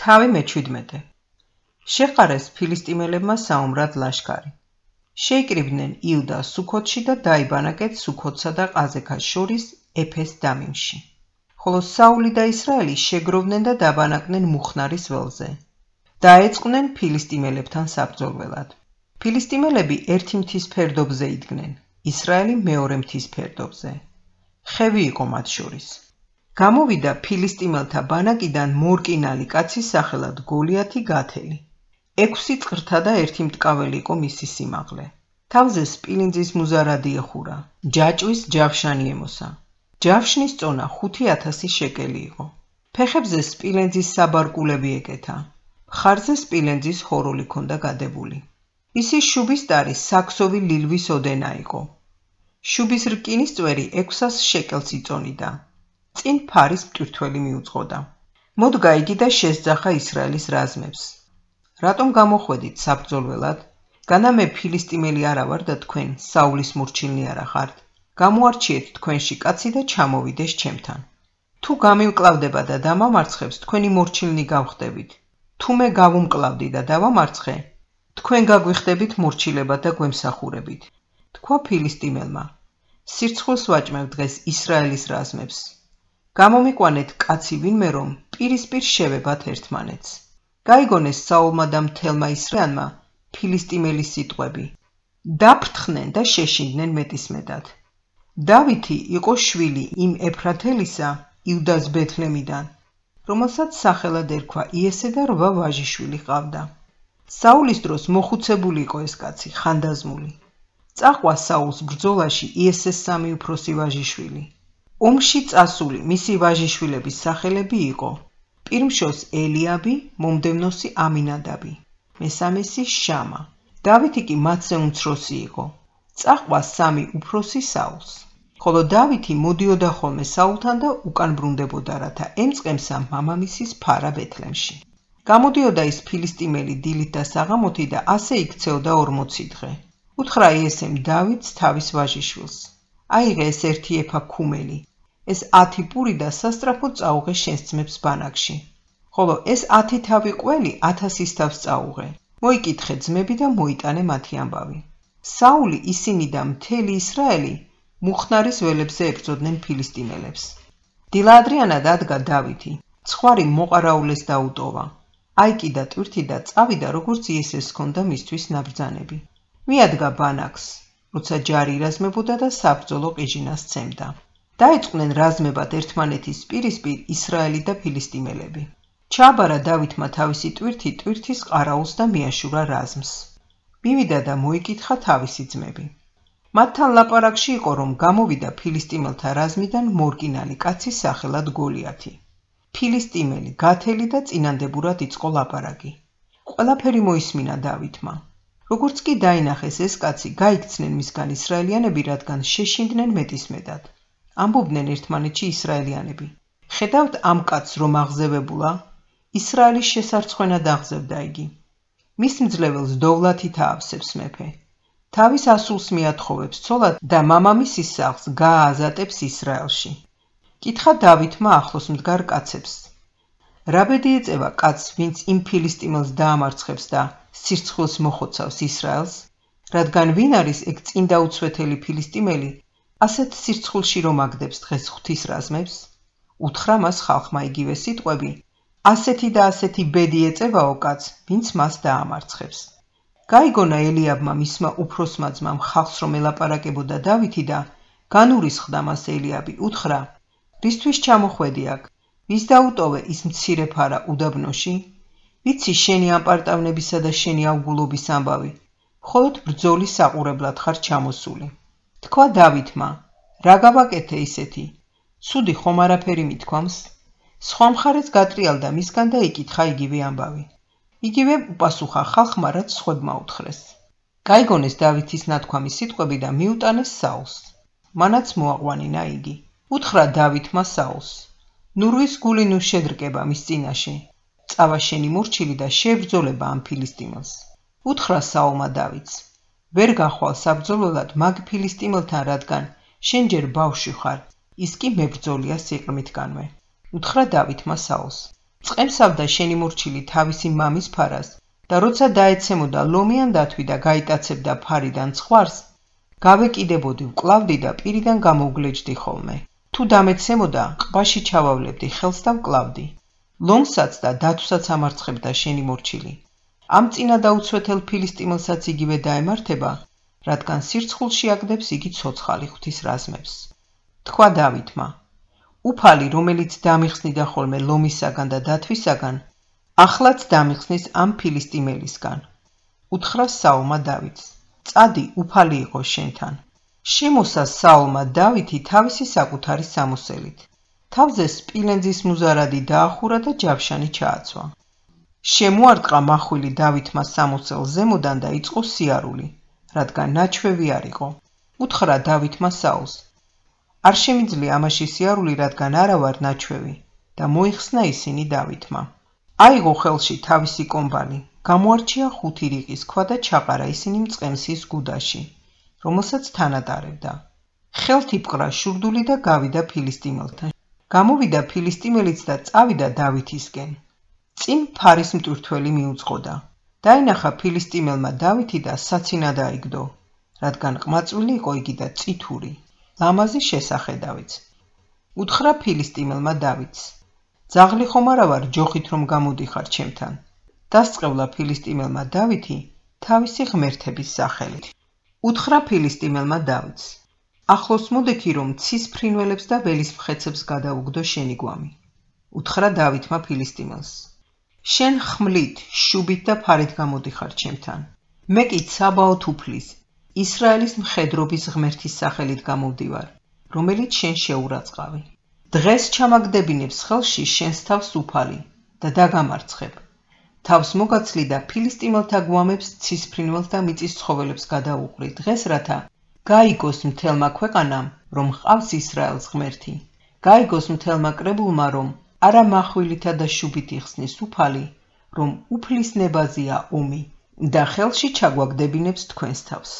თავი მე-17 შეყარეს ფილისტიმელებმა საომრად ლაშქარი. შეიკრიბნენ იუდა სუქოთში და დაიბანაკეთ სუქოთსა და ყაზექას შორის ეფეს დამიმში. ხოლო საული და ისრაელი შეგროვდნენ და დაბანაკდნენ მუხნარის ველზე. დაეწყნენ ფილისტიმელებთან საბრძოლველად. ფილისტიმელები ერთი მთის ფერდობზე იდგნენ, ისრაელი მეორე მთის ფერდობზე. ხევი იყო მათ შორის. გამოვიდა ფილისტიმელთა ბანაკიდან მორკინალი კაცის სახელად გოლიათი გათელი. 6 წღრთა და 1 მტკაველი იყო მისი სიმაღლე. თავზე სპილინძის მუზარადი ეხურა, ჯაჭვის ჯავშანი ემოსა. ჯავშნის წონა 5000 შეკელი იყო. ფეხებზე სპილენძის საბარკულები ეკეთა. მხარზე სპილენძის ხოროლი ჰქონდა გადებული. მისი შუბის ტარი საქსოვი ლილვის ოდენა იყო. შუბის რკინის წვერი 600 შეკელს იწონიდა. წინ ფარის მტვირთველი მიუძღოდა. მოდგა იგი და შესძახა ისრაელის რაზმებს. რატომ გამოხვედით საბრძოლველად? განა მე ფილისტიმელი არა ვარ და თქვენ საულის მორჩილნი არა ხართ. გამოარჩიეთ თქვენში კაცი და ჩამოვიდეს ჩემთან. თუ გამივკლავდება და დამამარცხებს, თქვენი მორჩილნი გავხდებით. თუ მე გავუმკლავდი და დავამარცხე, თქვენ გაგვიხდებით მორჩილებად და გვემსახურებით. თქვა ფილისტიმელმა, სირცხვილს ვაჭმევ დღეს ისრაელის რაზმებს. გამომიყვანეთ კაცი ვინმე რომ პირისპირ შევებათ ერთმანეთს. გაიგონეს საულმა და მთელმა ისრაელმა ფილისტიმელის სიტყვები. დაფრთხნენ და შეშინდნენ მეტისმეტად. დავითი იყო შვილი იმ ეფრათელისა იუდას ბეთლემიდან, რომელსაც სახელად ერქვა იესე და 8 ვაჟიშვილი ჰყავდა. საულის დროს მოხუცებული იყო ეს კაცი, ხანდაზმული. წაყვა საულს ბრძოლაში იესეს 3 უფროსი ვაჟიშვილი. ომში წასული მისი ვაჟიშვილების სახელები იყო: პირმშოს ელიაბი, მომდევნოსი ამინადაბი, მესამესი შამა. დავითი კი მათზე უმცროსი იყო. წაყვა 3 უფროსი საულს. ხოლო დავითი მოდიოდა ხოლმე საულთან და უკან ბრუნდებოდა, რათა ემწყემსა მამამისის ფარა ბეთლემში. გამოდიოდა ის ფილისტიმელი დილით და საღამოთი და ასე იქცეოდა 40 დღე. უთხრა იესემ დავითს თავის ვაჟიშვილს: აიღე ეს 1 ეფა ქუმელი, ეს 10 პური და სასტრაფოდ წაუღე შენს ძმებს ბანაკში. ხოლო ეს 10 თავი ყველი 1000-ის თავს წაუღე. მოიკითხე ძმები და მოიტანე მათი ამბავი. საული, ისინი და მთელი ისრაელი მუხნარის ველებზე ებრძოდნენ ფილისტიმელებს. დილადრიანად ადგა დავითი, ცხვარი მოყარაულეს დაუტოვა. აიკიდა ტვირთი და წავიდა, როგორც იესეს ჰქონდა მისთვის ნაბრძანები. მიადგა ბანაკს, როცა ჯარი ირაზმებოდა და საბრძოლო ყიჟინას სცემდა. დაეწყნენ რაზმებად ერთმანეთის პირისპირ ისრაელი და ფილისტიმელები. ჩააბარა დავითმა თავისი ტვირთი ტვირთის ყარაულს და მიაშურა რაზმს. მივიდა და მოიკითხა თავისი ძმები. მათთან ლაპარაკში იყო, რომ გამოვიდა ფილისტიმელთა რაზმიდან მორკინალი კაცი სახელად გოლიათი. ფილისტიმელი, გათელი და წინანდებურად იწყო ლაპარაკი. ყველაფერი მოისმინა დავითმა. როგორც კი დაინახეს ეს კაცი, გაიქცნენ მისგან ისრაელიანები, რადგან შეშინდნენ მეტისმეტად. ამბობდნენ ერთმანეთში ისრაელიანები: ხედავთ ამ კაცს რომ აღზევებულა? ისრაელის შესარცხვენად აღზევდა იგი. მის მძლეველს დოვლათით აავსებს მეფე. თავის ასულს მიათხოვებს ცოლად და მამამისის სახლს გაააზატებს ისრაელში. კითხა დავითმა ახლოს მდგარ კაცებს: რა ბედი ეწევა კაცს, ვინც იმ ფილისტიმელს დაამარცხებს და სირცხვილს მოხოცავს ისრაელს? რადგან ვინ არის ეგ წინდა უცვეთელი ფილისტიმელი, ასეთ სირცხვილში რომ აგდებს დღეს ღვთის რაზმებს? უთხრა მას ხალხმა იგივე სიტყვები: ასეთი და ასეთი ბედი ეწევაო კაცს, ვინც მას დაამარცხებს. გაიგონა ელიაბმა მისმა უფროსმა ძმამ ხალხს რომ ელაპარაკებოდა დავითი და განურისხდა მას ელიაბი. უთხრა: რისთვის ჩამოხვედი აქ? ვის დაუტოვე ის მცირე ფარა უდაბნოში? ვიცი შენი ამპარტავნებისა და შენი ავგულობის ამბავი, მხოლოდ ბრძოლის საყურებლად ხარ ჩამოსული. თქვა დავითმა: რა გავაკეთე ისეთი? ცუდი ხომ არაფერი მithქვამს? სხვა მხარეც გატრიალდა მისგან და იკითხა იგივე ამბავი. იგივე უპასუხა ხალხმა, რაც სხვებმა უთხრეს. გაიგონეს დავითის ნათქვამი სიტყვები და მიუტანეს საულს. მანაც მოაყვანინა იგი. უთხრა დავითმა საულს: ნურვის გული ნუ შედრკება მის წინაშე. წავა შენი მორჩილი და შეებრძოლება ამ ფილისტიმელს. უთხრა საულმა დავითს: ვერ გახვალ საბრძოლველად მაგ ფილისტიმელთან, რადგან შენ ჯერ ბავშვი ხარ, ის კი მებრძოლია სიყრმითგანვე. უთხრა დავითმა საულს: წყემსავდა შენი მორჩილი თავისი მამის ფარას და როცა დაეცემოდა ლომიან დათვი და გაიტაცებდა ფარიდან ცხვარს, გავეკიდებოდი, ვკლავდი და პირიდან გამოვგლეჯდი ხოლმე. თუ დამეცემოდა, ყბაში ჩავავლებდი ხელს და ვკლავდი. ლომსაც და დათვსაც ამარცხებდა შენი მორჩილი. ამ წინა დაუცვეთელ ფილისტიმელსაც იგივე დაემართება, რადგან სირცხულში აგდებს იგი ცოცხალი ღვთის რაზმებს. თქვა დავითმა, უფალი, რომელიც დამიხსნიდა ხოლმე ლომისაგან და დათვისაგან, ახლაც დამიხსნის ამ ფილისტიმელისგან. უთხრა საულმა დავითს, წადი, უფალი იყო შენთან. შემოსა საულმა დავითი თავისი საკუთარი სამოსელით. თავზე სპილენძის მუზარადი დაახურა და ჯავშანი ჩააცვა. შემოარტყა მახვილი დავითმა სამოსელს ზემოდან და იწყო სიარული, რადგან ნაჩვევი არ იყო. უთხრა დავითმა საულს, არ შემიძლია ამაში სიარული, რადგან არა ვარ ნაჩვევი, და მოიხსნა ისინი დავითმა. აიღო ხელში თავისი კომბალი, გამოარჩია 5 რიყის ქვა და ჩაყარა ისინი მწყემსის გუდაში, რომელსაც თანატარებდა. ხელთ იპყრა შურდული და გავიდა ფილისტიმელთან. გამოვიდა ფილისტიმელიც და წავიდა დავითისკენ. წინ ფარის მტვირთველი მიუძღოდა. დაინახა ფილისტიმელმა დავითი და საცინა დაიგდო, რადგან ყმაწვილი იყო იგი და წითური, ლამაზი შესახედავიც. უთხრა ფილისტიმელმა დავითს, ძაღლი ხომ არა ვარ ჯოხით რომ გამოდიხარ ჩემთან. დასწყევლა ფილისტიმელმა დავითი თავისი ღმერთების სახელით. უთხრა ფილისტიმელმა დავითს, ახლოს მოდექი რომ ცის ფრინველებს და ველის მხეცებს გადაუგდო შენი გვამი. უთხრა დავითმა ფილისტიმელს, შენ ხმლით, შუბით და ფარით გამოდიხარ ჩემთან. მე კი ცაბაოთ უფლის, ისრაელის მხედრობის ღმერთის სახელით გამოვდივარ, რომელიც შენ შეურაცხავი. დღეს ჩამაგდებინებს ხელში შენს თავს უფალი და დაგამარცხებ. თავს მოგაცლი და ფილისტიმელთა გვამებს ცის ფრინველს და მიწის ცხოველებს გადაუყრი დღეს, რათა გაიგოს მთელმა ქვეყანამ, რომ ჰყავს ისრაელს ღმერთი. გაიგოს მთელმა კრებულმა, რომ არა מחვილითა და შუბით იხსნის უფალი, რომ უფლის ნებაზია ომი და ხელში ჩაგვაგდებინებს თქვენს თავს.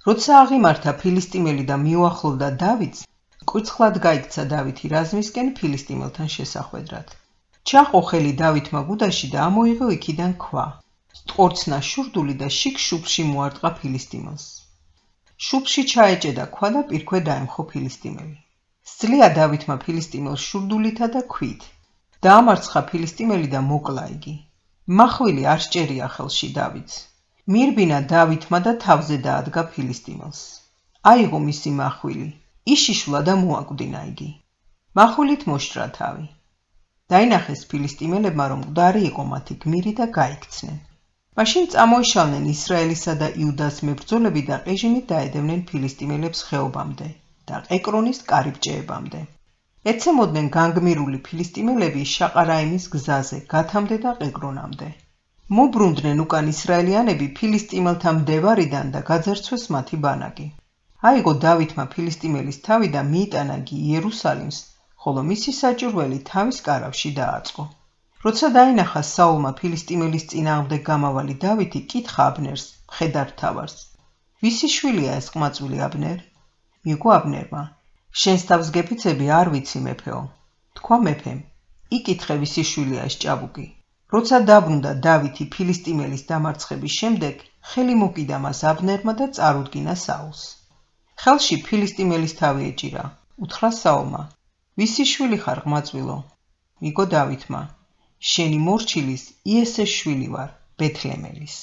როცა აღიმართა ფილისტიმელი და მიუახლოვდა დავითს, კვირცხლად გაიქცა დავითი რაზმისკენ ფილისტიმელთან შესახვედრად. ჩაყო ხელი დავითმა გუდაში და ამოიღო იქიდან ქვა. სტყორცნა შურდული და შიგ შუბლში მოარტყა ფილისტიმელს. შუბლში ჩაეჭედა ქვა და პირქვე დაემხო ფილისტიმელი. სძლია დავითმა ფილისტიმელს შურდულითა და ქვით. დაამარცხა ფილისტიმელი და მოკლა იგი. მახვილი არ სჭერია ხელში დავითს. მირბინა დავითმა და თავზე დაადგა ფილისტიმელს. აიღო მისი მახვილი, იშიშვლა და მოაკვდინა იგი. მახვილით მოშრა თავი. დაინახეს ფილისტიმელებმა, რომ მკვდარი იყო მათი გმირი და გაიქცნენ. მაშინ წამოიშალნენ ისრაელისა და იუდას მებრძოლები და ყეჟინით დაედევნენ ფილისტიმელებს ხეობამდე და ეკრონის კარიბჭეებამდე. ეცემოდნენ განგმირული ფილისტიმელები შაყარაიმის გზაზე, გათამდე და ყეკრონამდე. მობრუნდნენ უკან ისრაელიანები ფილისტიმელთა მდევარიდან და გაძარცვეს მათი ბანაკი. აიღო დავითმა ფილისტიმელის თავი და მიიტანა გი იერუსალიმს, ხოლო მისი საჭურველი თავის კარავში დააწყო. როცა დაინახა საულმა ფილისტიმელის წინააღმდეგ გამავალი დავითი, კითხა აბნერს, მხედართმთავარს, ვისი შვილია ეს ყმაწვილი აბნერ? მიგვო აბნერმა, შენს თავს გეფიცები არ ვიცი მეფეო. თქვა მეფემ, იკითხე ვისი შვილია ეს ჭაბუკი. როცა დაბრუნდა დავითი ფილისტიმელის დამარცხების შემდეგ, ხელი მოკიდა მას აბნერმა და წარუდგინა საულს. ხელში ფილისტიმელის თავი ეჭირა. უთხრა საულმა, ვისი შვილი ხარ ყმაწვილო? მიგო დავითმა, შენი მორჩილის იესეს შვილი ვარ, ბეთლემელის.